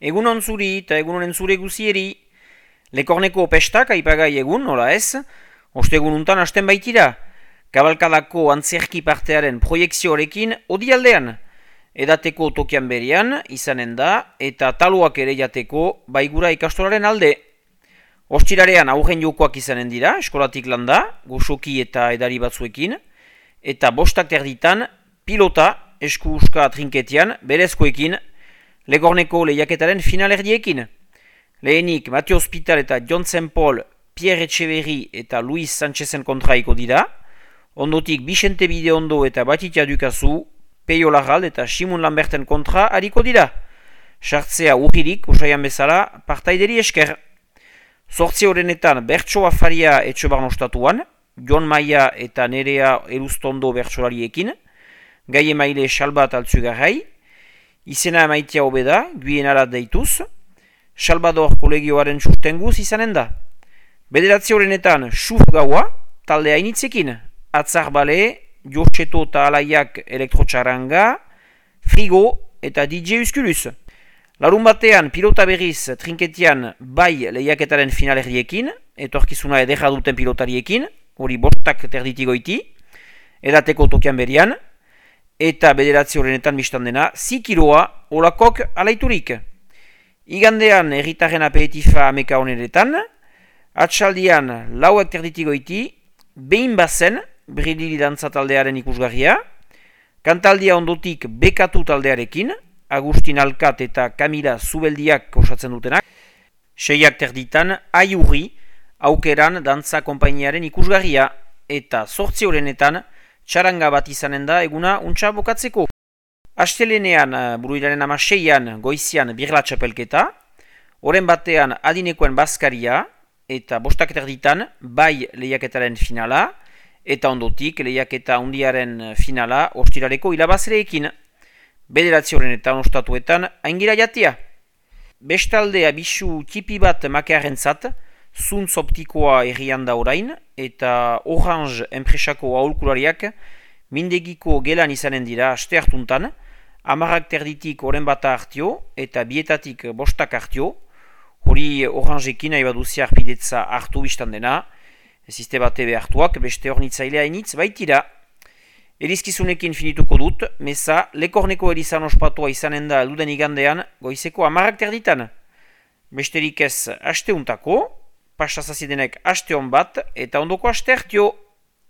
Egunon zuri eta egunonen zure guzieri. Lekorneko pestak aipagai egun, nola ez? Ostegun untan hasten baitira. Kabalkadako antzerki partearen proiekzioarekin odialdean. Edateko tokian berian, izanen da, eta taluak ere jateko baigura ikastolaren alde. Ostirarean aurren jokoak izanen dira, eskolatik landa, goxoki eta edari batzuekin, eta bostak terditan, pilota, esku-uska trinketian, berezkoekin, Lekorneko lehiaketaren finalerdiekin. Lehenik Mateo Hospital eta Johnson Paul, Pierre Etxeberri eta Luis Sanchezen kontraiko dira. Ondotik Bixente Bideondo eta Batitia Dukazu, Peio Larral eta Simon Lamberten kontra hariko dira. Sartzea urririk, usaian bezala, partaideri esker. Zortzi horrenetan Bertso Afaria Etxobarno ostatuan, Jon Maia eta Nerea Elustondo bertsolariekin, Gai emaile Salbat Altzugarrai, izena emaitia hobeda, Guienara deituz, Salvador kolegioaren sustenguz izanen da. Bederatzi horrenetan Xuf gaua, talde hainitzekin, Atzar Bale, Jortxeto eta Alaiak elektrotxaranga, Frigo eta DJ Uskuluz. Larun batean pilota berriz trinketian bai lehiaketaren finalerdiekin, etorkizuna edera duten pilotariekin, hori bostak terditigoiti, edateko tokian berian, eta bederatzi horrenetan biztan dena, zikiroa olakok alaiturik. Igandean erritaren aperitifa ameka honeretan, atxaldian lauek terditigoiti, behin bazen, Brilili dantza taldearen ikusgarria, kantaldia ondotik Bekatu taldearekin, Agustin Alkat eta Kamila Zubeldiak osatzen dutenak, seiak terditan, Aiurri, aukeran dantza konpainiaren ikusgarria, eta zortzi horrenetan, txaranga bat izanen da eguna untxa bokatzeko. Astelenean, buruilaren 16an goizian birla txapelketa, oren batean adinekoen bazkaria, eta bostak terditan bai lehiaketaren finala, eta ondotik lehiaketa hundiaren finala ostiraleko hilabazreekin. Bederatzi horrenetan ostatuetan aingira jatia. Bestalde abisu tipi bat makearen zat, zuntz optikoa errian da orain, eta Orange enpresako aholkulariak mindegiko gelan izanen dira aste hartuntan, 10 terditik oren bata hartio eta bietatik bostak hartio, hori Orangeekin nahi baduzia arpidetza hartu biztan dena, ziste bate behartuak beste hornitzailea initz baitira. Erizkizunekin finituko dut, meza Lekorneko erizan ospatua izanen da elduden igandean goizeko 10 terditan. Besterik ez asteuntako, pasazazidenek aste hon bat eta ondoko aste hartio.